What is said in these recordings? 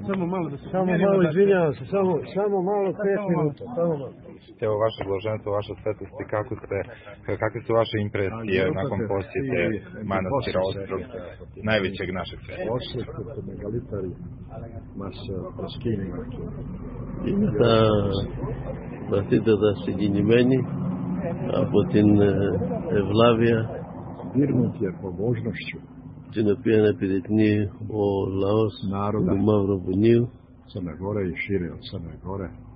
Samo malo, izvinjavam se, samo malo 5 minuta, samo malo. Evo vaše blaženstvo, vaša svetosti, kakve su vaše impresije nakon posjete manastira Ostrog, najvećeg našeg sveta? Ostrog, megalitari, masa прескинема. Είναι τα βαθύτερα συγκινημένοι από την ευλάβεια την οποία επιδεικνύει ο λαός του Μαυροβουνίου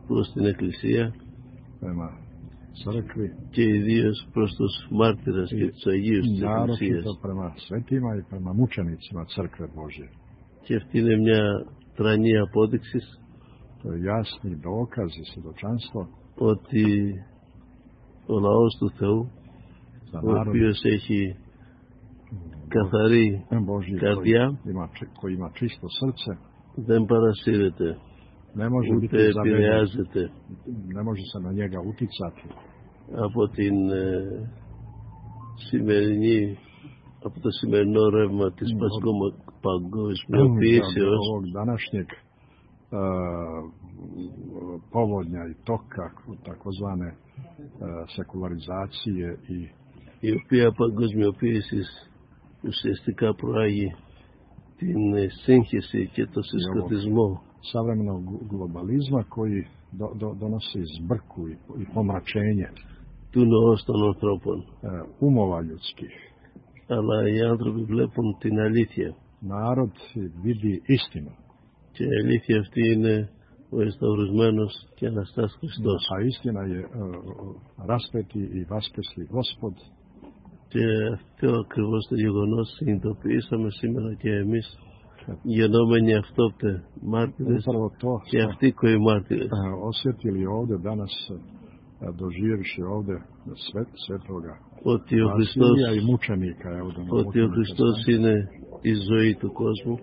προς την Εκκλησία και ιδίως προς τους μάρτυρες και τους Αγίους της Εκκλησίας. Και αυτή είναι μια τρανή απόδειξη ότι ο λαός του Θεού, ο οποίος έχει καθαρή καρδιά, δεν παρασύρεται, ούτε επηρεάζεται από το σημερινό ρεύμα της παγκοσμιοποίησεως povodnja i toka takozvane sekularizacije η οποία παγκοσμιοποίηση ουσιαστικά προάγει την σύγχυση και το συσχετισμό savremenog globalizma koji donosi zbrku i pomračenje του νοός των ανθρώπων. Umova ljudskih. Αλλά οι άνθρωποι βλέπουν την αλήθεια. Narod vidi istinu. Και η αλήθεια αυτή είναι ο εσταυρισμένος και Αναστάς Χριστός. A istina je raspeti i vaskrsli Gospod. Και αυτό ακριβώς το γεγονός συνειδητοποιήσαμε σήμερα και εμείς, γενόμενοι αυτόπτε μάρτυρες και αυτοί κοημάρτυρες. Osjetili ovdje danas, doživjevši ovdje svetoga ότι ο Χριστός, i mučenika, ότι ο Χριστός είναι η ζωή του κόσμου.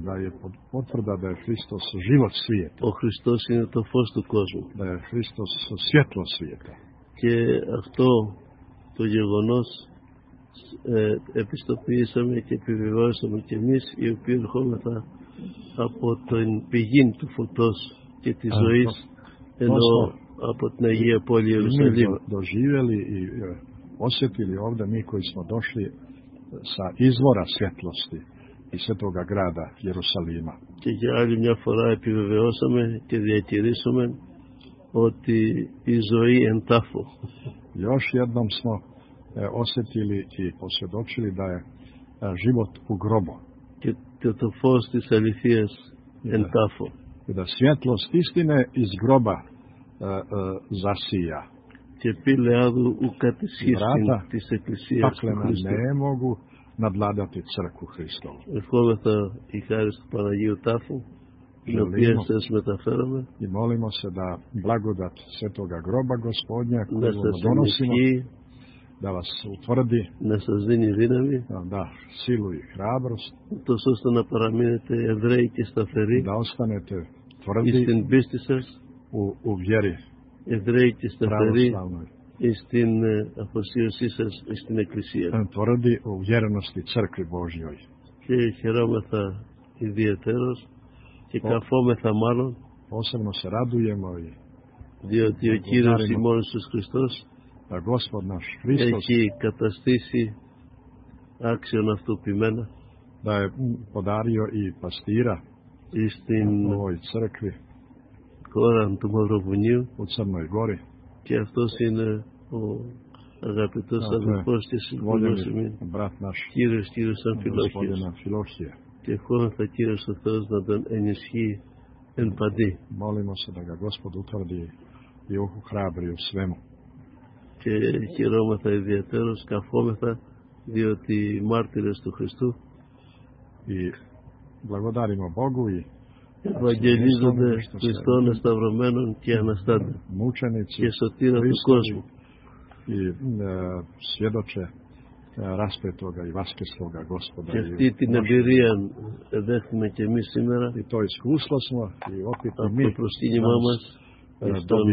Da je potvrda da je Hristos život svijeta. Ο Χριστός είναι το φως του κόσμου. Da je Hristos svjetlo svijeta. Και αυτό το γεγονός επιστοποιήσαμε και επιβεβαιώσαμε και εμείς, οι οποίοι ερχόμεθα από την πηγή του φωτός και της ζωής, ενώ από την Αγία Πόλη Ιερουσαλήμ. Doživjeli i osjetili ovdje mi koji smo došli sa izvora svjetlosti i svetoga grada Jerusalima. Και για άλλη μια φορά επιβεβαιώσαμε και διατηρήσαμε ότι η ζωή εν τάφο. Još jednom smo osjetili i posvjedočili da je život u grobu. Και το φως της αληθείας εν τάφο. I da svjetlost istine iz groba zasija. Και πήλεάδου ουκατησχίστην της Εκκλησίας του Χριστού. Ne mogu nadladati crkvu Hristovu. Ευχόμεθα η χάρη του Παναγίου Τάφου, την οποία σας μεταφέραμε, i molimo se da blagodat svetoga groba Gospodnja koju donosimo, da vas utvrdi, να σας δίνει δύναμη, da silu i hrabrost, τόσο ώστε να παραμείνετε Εβραίοι και σταθεροί, da ostanete tvrdi στην πίστη σας, u vjeri Εβραίοι και σταθεροί στην αφοσίωσή σας στην Εκκλησία. Tvrdi u vjerenosti crkvi Božjoj. Και χαιρόμεθα ιδιαιτέρως και καφόμεθα μάλλον, posebno se radujemo i διότι ο Κύριος ημών Ιησούς Χριστός έχει καταστήσει άξιον αυτοποιημένα da je podario i pastira στην ovoj crkvi χώρα του Μαυροβουνίου u Crnoj Gori. Και αυτός είναι ο αγαπητός αδελφός και σύμβουλος ημίν, Κύριος Αμφιλόχιος. Και ευχόμεθα Κύριος ο Θεός να τον ενισχύει εν παντή. Molimo se da ga Gospod utvrdi i ohrabri u svemu. Και χαιρόμεθα ιδιαίτερως, καφόμεθα, διότι οι μάρτυρες του Χριστού blagodarimo Bogu i ευαγγελίζονται Χριστόν εσταυρωμένων και αναστάντα και σωτήρα του κόσμου. I svjedoče raspetoga i vaskrsloga Gospoda. Και αυτή την εμπειρία δέχουμε και εμείς σήμερα i to iskustvo smo i opet από το προσκύνημά μας των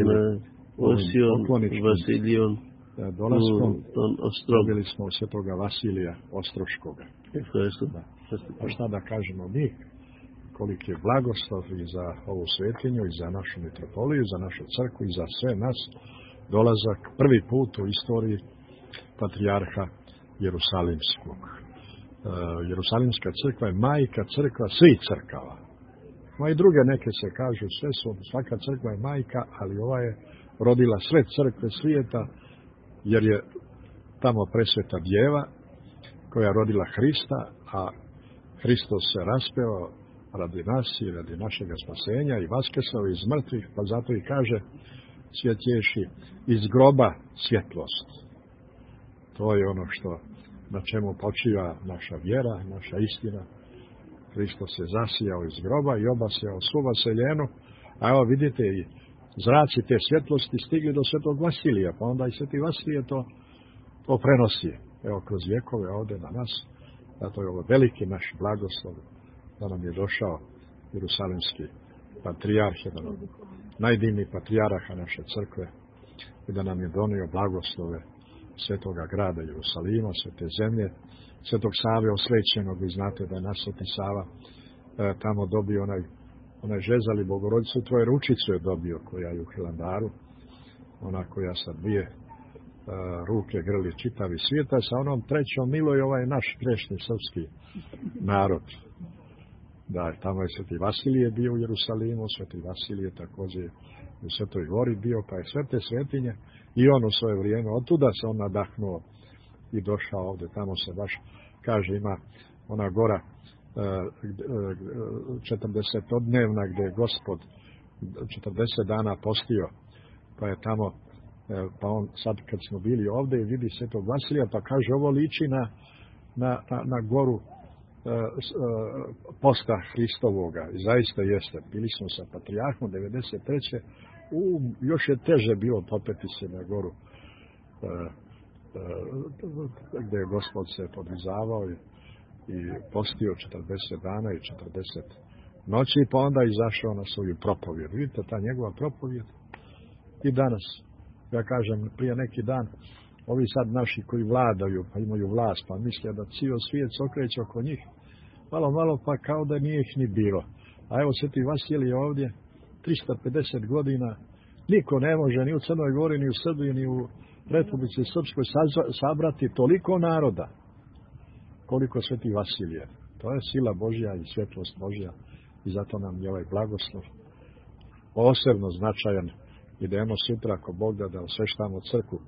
Όσιων Βασιλείων των Οστρών. Dobili smo od svetoga Vasilija Ostroškoga. Ευχαριστώ. A šta da kažemo mi koliki je blagoslov i za ovu svetinju, i za našu mitropoliju, za našu crkvu, i za sve nas, dolazak prvi put u istoriji patrijarha Jerusalimskog. Jerusalimska crkva je majka crkva svih crkava. Ma i druge neke se kažu, svaka crkva je majka, ali ova je rodila sve crkve svijeta, jer je tamo presveta djeva koja je rodila Hrista, a Hristos se raspeo radi nas i radi našega spasenja i vaskrsao iz mrtvih, pa zato i kaže svjetješi iz groba svjetlost. To je ono na čemu počiva naša vjera, naša istina. Hristos se zasijao iz groba i obasjao svu vaseljenu, a evo vidite i zraci te svjetlosti stigli do svetog Vasilija, pa onda i sveti Vasilije to prenosi. Evo kroz vjekove ovdje na nas, zato je ovo veliki naš blagoslov da nam je došao Jerusalimski patrijarh, jedan od najdivnijih patrijaraha naše crkve, i da nam je donio blagoslove svetoga grada Jerusalima, svete zemlje, svetog Save osvećenog. Vi znate da je naš sveti Sava tamo dobio onaj žezali Bogorodicu, tvoje ručicu je dobio, koja je u Hilandaru, ona koja sa dvije ruke grli čitavi svijeta, sa onom trećom miluje ovaj naš grešni srpski narod. Da, tamo je sveti Vasilije bio u Jerusalimu, sveti Vasilije također u Svetoj Gori bio, pa je sve te svetinje i on u svoje vrijeme, otuda se on nadahnuo i došao ovdje, tamo se baš kaže ima ona gora 40-dnevna gdje je Gospod 40 dana postio, pa je tamo, pa on sad kad smo bili ovdje i vidi svetog Vasilija, pa kaže ovo liči na goru posta Hristovoga, i zaista jeste. Bili smo sa patrijarhom 93. Još je teže bilo popeti se na goru gdje je Gospod se podvizavao i postio 40 dana i 40 noći, pa onda izašao na svoju propovjed. Vidite, ta njegova propovjed i danas, ja kažem, prije neki dan, ovi sad naši koji vladaju, pa imaju vlast, pa misle da cijel svijet se okreće oko njih, malo, pa kao da nije ih ni bilo. A evo sveti Vasilij ovdje, 350 godina, niko ne može ni u Crnoj Gori, ni u Srbiji, ni u Republici Srpskoj sabrati toliko naroda, koliko sveti Vasilije. To je sila Božja i svjetlost Božja, i zato nam je ovaj blagoslov posebno značajan. Idemo sutra, ako Bog da osveštamo crkvu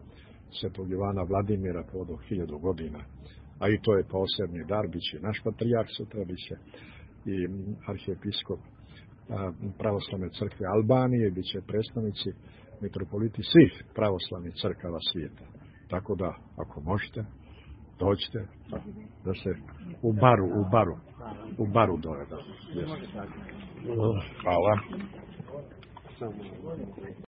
svetog Ivana Vladimira povodom 1000 godina. A i to je posebni dar, bit će naš patrijarh sutra, bit će i arhijepiskop pravoslavne crkve Albanije, bit će predstavnici mitropoliti svih pravoslavnih crkava svijeta. Tako da, ako možete, dođite da se u baru doveda. Hvala.